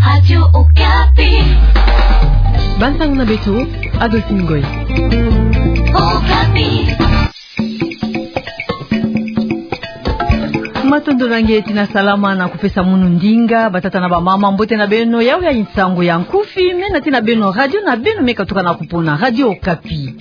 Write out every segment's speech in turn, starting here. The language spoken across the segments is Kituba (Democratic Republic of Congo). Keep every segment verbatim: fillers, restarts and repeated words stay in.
Radio Okapi. Bansango na beto, Adolphine Ngoy. Okapi. Matondo na nge ti na salama na kupesa munu ndinga, batata na bamama, mbote na beno, yawu ya nsangu ya nkufi, mena ti na beno radio na beno me katuka na kupona, Radio Okapi.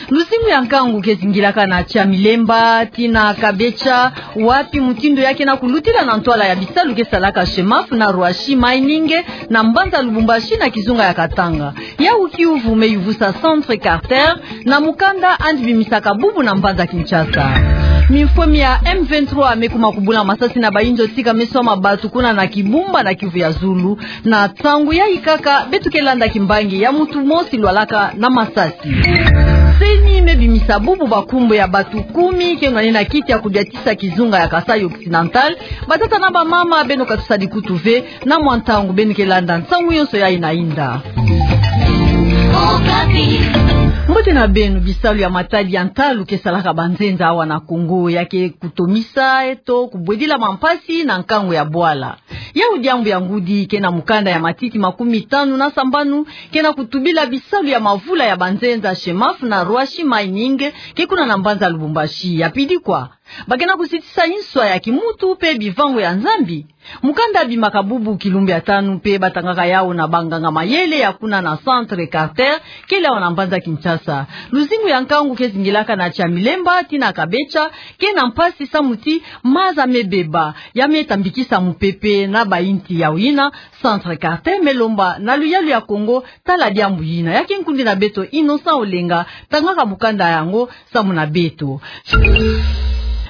Luzingu ya nkangu ke zingilaka na Tia Milemba tii na Kabecha, wapi mutindu ya ke na kulutila na ntwala ya bisalu ke salaka chez MAF na Roissy Mining na mbanza Lubumbashi na kizunga ya Katanga. Yawu kiuvu me yuvusa Centre Carter na mukanda andi bimisaka bubu na mbanza Kinshasa. Mifwemi ya M vingt-trois me kuma kubula masasi na bayinzo tika me swama batu kuna na Kibumba na Kivu ya Zulu. Na ntangu yayi kaka, beto ke landa kimbangi ya mutu mosi lwalaka na masasi. CENI me bimisa bubu bankumbu ya batu kumi ke nwanina kiti ya kudiatisa kizunga ya Kasaï Occidental. Batata na bamama, beno katusadi kutu ve, na mwa ntangu beno ke landa nsangu yonso yayi na inda. Mbote na beno. Bisalu ya matadi ya ntalu ke salaka banzenza awa na Congo ya ke kutomisa to kubwedila mampasi na nkangu ya bwala. Yawu diambu ya ngudi ke na mukanda ya matiti makumi tanu na sambanu ke na kutubila bisalu ya mavula ya banzenza chez MAF na Roissy Mining ke kuna na mbanza Lubumbashi. Ya pidi kwa, ba ke na kuzitisa nswa ya kimutu pe bivangu ya Nzambi. Mukanda bimaka bubu kilumbu ya tanu pe batangaka yawu na banganga mayele ya kuna na Centre Carter, kele awa na mbanza Kinshasa. Luzingu ya nkangu ke zingilaka na Tia Milemba tii na Kabecha ke na mpasi samu ti maza me beba, ya me tambikisa mupepe na bayinti. Yawu yina, Centre Carter me lomba na luyalu ya Congo tala diambu yina. Ya ke nkundi na beto Innocent Olenga tangaka mukanda yango samu na beto.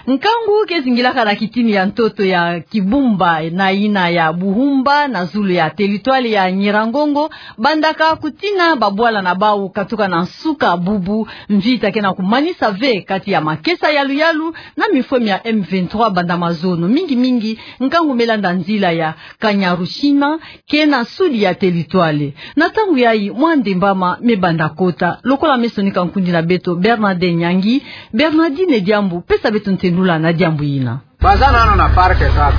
Nkangu ke zingilaka na kitini ya ntoto ya Kibumba na yina ya Buhumba na zulu ya territoire ya Nyiragongo, bandaka kutina babwala na bawu katuka na nsuka bubu. Mvita ke na kumanisa ve kati ya makesa ya luyalu na mifwemi ya M vingt-trois banda mazono, mingi mingi nkangu me landa nzila ya Kanyaruchinya ke na sudi ya territoire. Na ntangu yayi mwa ndembama me banda kota. Lokola me sonika nkundi na beto Bernardin Nyangi. Bernardin, diambu, pesa beto ntendula na diambu yina. Baza nanu na parc kaka.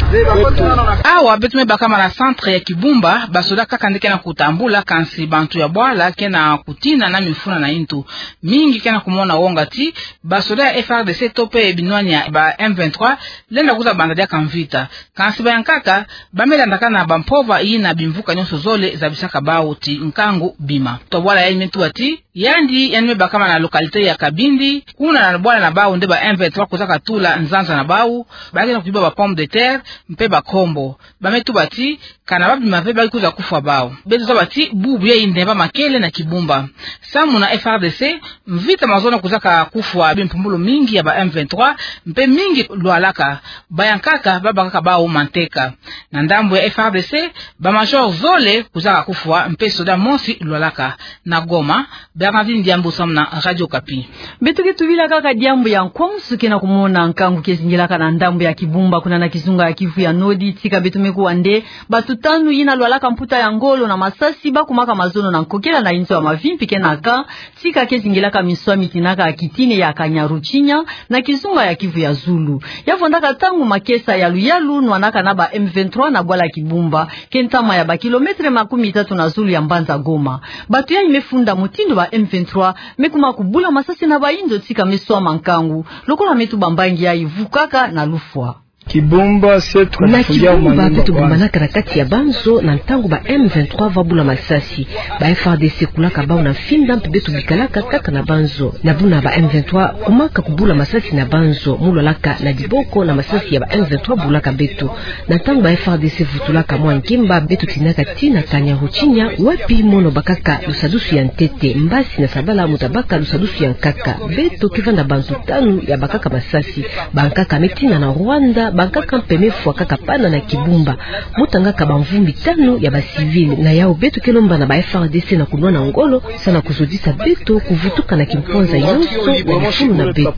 Awa beto me bakama na centre ya Kibumba, basoda kaka nde ke na kutambula, kansi bantu ya bwala ke na kutina na mifuna na intu. Mingi ke na kumona wonga ti basoda ya F R D C to pe binwani ya ba M vingt-trois lenda kwiza banda diaka mvita. Kansi bayankaka, ba me landaka na bampova yina bimvuka nyonso zole zabisaka bawu ti nkangu bima. Tobwala yayi me tuba ti yandi, yandi me bakama na localité ya Kabindi, kuna na bwala na bawu nde ba M vingt-trois kwizaka tula nzanza na bawu, ba ke na kuyiba ba pomme de terre mpe ba nkombo. Ba me tuba ti kana ba bima ve ba ke kwiza kufwa bawu. Beto zaba ti bubu yayi ndembama kele na Kibumba. Samu na F R D C, mvita mazono kwizaka kufwa bimpumbulu mingi ya ba M vingt-trois, mpe mingi lwalaka. Bayankaka ba bakaka bawu manteka. Na ndambu ya F R D C, ba major zole kwizaka kufwa, mpe soda mosi lwalaka. Na Goma, Bernardin Diambu samu na Radio Okapi. Beto ke tubila kaka diambu ya nkwansu ke na kumona nkangu ke zingilaka na ndambu ya Kibumba kuna na kizunga ya Kivu ya Nord, tika beto me kuwa nde bato tanu yina lwalaka mputa ya ngolo na masasi ba kumaka mazono na nkokela na inzo ya mavimpi ke na ka, tika ke zingilaka minswa mi tinaka kitini ya Kanyaruchinya na kizunga ya Kivu ya Zulu. Ya vwandaka ntangu makesa ya luyalu nwanaka na ba M vingt-trois na bwala Kibumba, ke ntama ya ba kilomètre makumi tatu na zulu ya mbanza Goma. Bato yayi me funda mutindu ba M vingt-trois me kuma kubula masasi na bayinzo tika me swama nkangu. Lokola me tuba mbangi yayi vukaka na lufwa. Kibumba, c'est tout. Na Kibumba, beto bumbanaka na kati ya banzo na ntangu ba M vingt-trois va bula masasi. Ba F R D C kulaka bawu na mfinda mpe beto bikalaka kaka na banzo. Na buna ba M vingt-trois kumaka kubula masasi na banzo, mu lwalaka na diboko na masasi ya ba M vingt-trois bulaka beto. Na ntangu ba F R D C vutulaka mwa nkemba, beto tinaka tii na Kanyaruchinya, wapi mono bakaka lusadusu ya ntete, mbasi na sabala mu ta baka lusadusu ya nkaka. Beto ke vanda bantu tanu ya bakaka masasi. Bankaka me tina na Rwanda, bankaka mpe me fwa kaka pana na Kibumba. Mu tangaka bamvumbi tanu ya ba civil. Na yawu beto ke lomba na ba F R D C na kunwana ngolo, samu na kuzodisa beto kuvutuka na kimpwanza yonso ya lifulu na beto.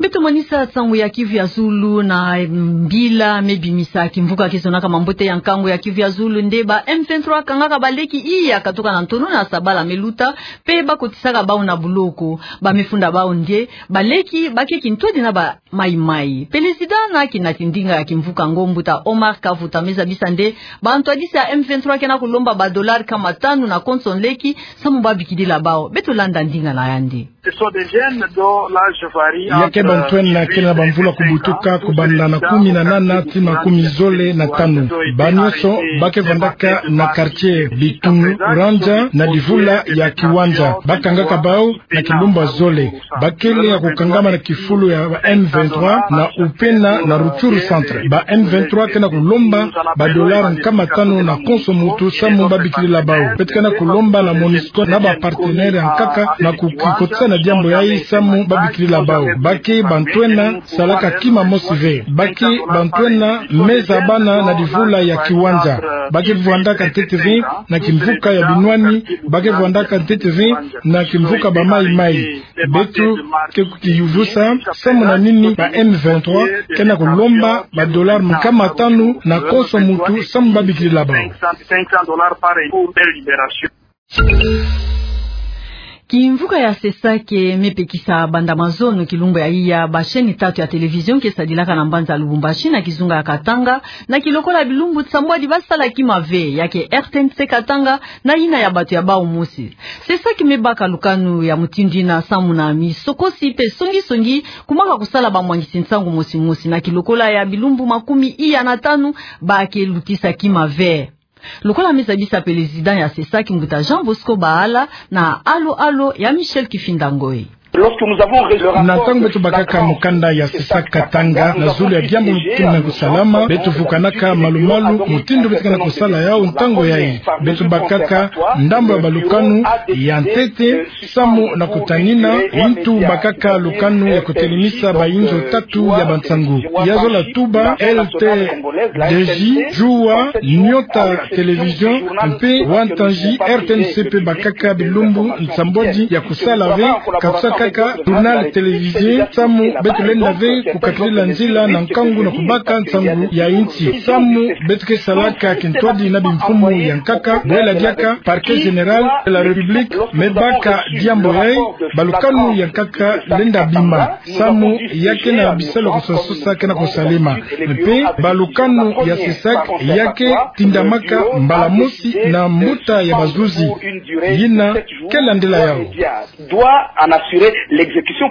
Beto manisa nsangu ya Kivu ya Zulu na mbila me bimisa kimvuka ke zonaka mambote ya nkangu ya Kivu ya Zulu nde ba M vingt-trois kangaka baleki iya katuka na ntonu na sabala me luta, pe bakotisaka bawu na buloko. Ba me funda bawu nde baleki ba ke kintwadi na ba maïmaï. Pelezida na kinati ndinga ya kimvuka yango mbuta Omar Kavuta me zabisa nde bantwadisi ya M vingt-trois ke na kulomba ba dollars nkama tanu na konso nleki, samu babikidila bawu. Beto landa ndinga na yandi. Ce sont des jeunes dont l'âge varie. Ya ke bantwena ke na bamvula kubutuka kubanda na kumi na nana tii na kumi zole na tanu. Ba nyonso ba ke vandaka na quartier Bitunu Randja na divula ya Kiwanja. Ba kangaka bawu na kilumbu zole. Ba kele ya kukangama na kifulu ya ba M vingt-trois na Upena na Rutshuru centre. Ba M vingt-trois ke na kulomba ba dollars nkama tanu na konso muntu samu babikidila bawu. Beto ke na kulomba na MONUSCO na ba partenaires ya nkaka na kukikotisa na diambu yayi samu babikidila bawu. Ba ke bantwena salaka kima mosi ve. Ba ke bantwena me zabana na divula ya Kiwanja. Ba ke vandaka ntete ve na kimvuka ya binwani. Ba ke vandaka ntete ve na kimvuka ba maïmaï. Beto ke kukiyuvusa samu na nini ba M vingt-trois ke na kulomba ba dollars nkama tanu na konso muntu samu babikidila bawu. Kimvuka ya CESAC me pekisa banda mazono kilumbu ya iya ba chaînes tatu ya télévision ke sadilaka na mbanza Lubumbashi na kizunga ya Katanga, na kilokola bilumbu nsambwadi ba sala kima ve, ya ke R T N C Katanga na yina ya bato ya bawu mosi. CESAC me baka lukanu ya mutindu yina samu na misokosi pe songi-songi kumaka kusala bamwangisi nsangu mosi-mosi, na kilokola ya bilumbu makumi iya na tanu ba ke lutisa kima ve. Lokola me zabisa pelezida ya CESAC mbuta Jean Bosco Bahala na alo-alo ya Michel Kifinda Ngoi. Na ntangu beto bakaka mukanda ya CESAC Katanga na zulu ya diambu mutindu na kusalama, beto vukanaka malu-malu mutindu beto ke na kusala yawu ntangu yayi. Beto bakaka ndambu ya balukanu ya ntete samu na kutanina yintu bakaka lukanu ya kutelemisa bayinzo tatu ya bansangu. Ya zola tuba, L T D J, Juwa, Nyota Télévision, mpe Wantanzi. R T N C pe bakaka bilumbu nsambwadi ya kusala ve, ka kusa kaka journal télévisé, samu beto lenda ve kukatulila nzila na nkangu na kubaka nsangu ya insi, samu beto ke salaka kintwadi na bimfumu ya nkaka, bwela diaka Parquet Général de la République me baka diambu yayi, balukanu ya nkaka lenda bima, samu ya ke na bisalu ya kusosa ke na kusalema. Mpe balukanu ya CESAC ya ke tindamaka mbala mosi na mbuta ya bazuzi yina ke landila yawu. Doit en assurer l'exécution.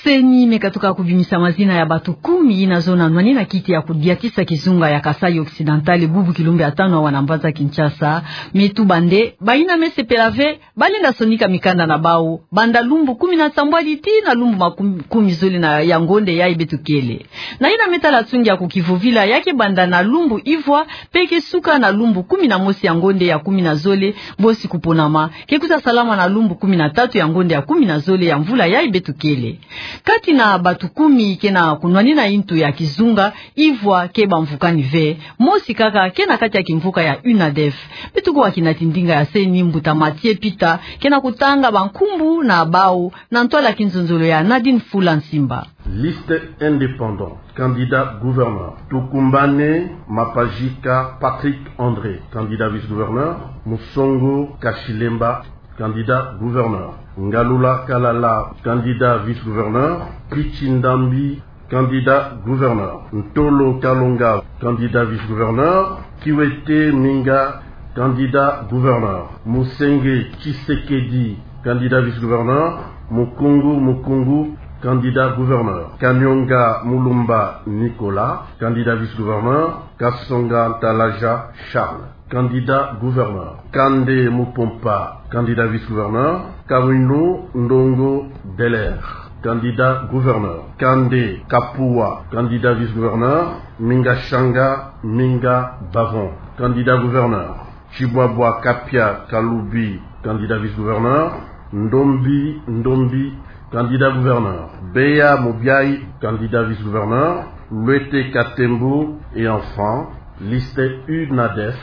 CENI me katuka kubimisa mazina ya bato kumi yina zona nwanina kiti ya kudiatisa kizunga ya Kasaï Occidental bubu kilumbu ya tanu awa na mbanza Kinshasa. Me tuba nde bayina me sepela ve, balenda sonika mikanda na bawu banda lumbu kumi na nsambwadi tii na lumbu makumi, kumi zole na ya ngonde yayi beto kele. Na yina me tala nsungi ya kukivovila, ya ke banda na lumbu ivwa, pe ke suka na lumbu kumi na mosi ya ngonde ya kumi na zole, bosi kuponama ke kuta salama na lumbu kumi na tatu ya ngonde ya kumi na zole ya mvula yayi beto kele. Kati na bato kumi ke na kunwanina yintu ya kizunga, ivwa ke bamvukani ve, mosi kaka ke na kati ya kimvuka ya UNADEF. Beto kuwa kinati ndinga ya CENI mbuta Mathieu Peter ke na kutanga bankumbu na bawu na ntwala kinzonzolo ya Nadine Fula Nsimba. Liste indépendante, candidat gouverneur, Tukumbane Mapajika Patrick André, candidat vice-gouverneur, Musongo Kashilemba, candidat gouverneur, Ngalula Kalala, candidat vice-gouverneur, Kichi Ndambi, candidat gouverneur, Ntolo Kalonga, candidat vice-gouverneur, Kiwete Minga, candidat gouverneur, Musenge Tshisekedi, candidat vice-gouverneur, Mukungu Mukungu, candidat gouverneur, Kanyonga Mulumba Nicolas, candidat vice-gouverneur, Kasonga Ntalaja Charles, candidat gouverneur, Kande Mupompa, candidat vice-gouverneur, Kawino Ndongo Deller, candidat gouverneur, Kande Kapua, candidat vice-gouverneur, Minga Shanga Minga Bavon, candidat gouverneur, Tshibwabwa Kapia Kalubi, candidat vice-gouverneur, Ndombi Ndombi, candidat gouverneur, Beya Mubiayi, candidat vice-gouverneur, Luete Katembo, et enfin, liste UNADEF,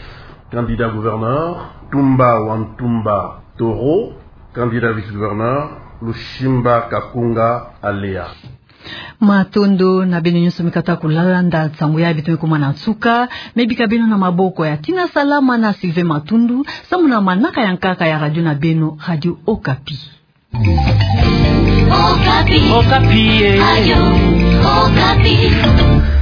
candidat gouverneur, Tumba Wantumba Toro, candidat vice-gouverneur, Lusimba Kakunga Alea. Matondo na beno nyonso mi kata kulalanda nsangu ya beto me kumana nsuka, me bika beno na maboko ya Tina Salama na Sylvain Matundu, samu na manaka ya nkaka ya radio na beno, Radio Okapi. Okapi. Okapi, eh. Radio Okapi.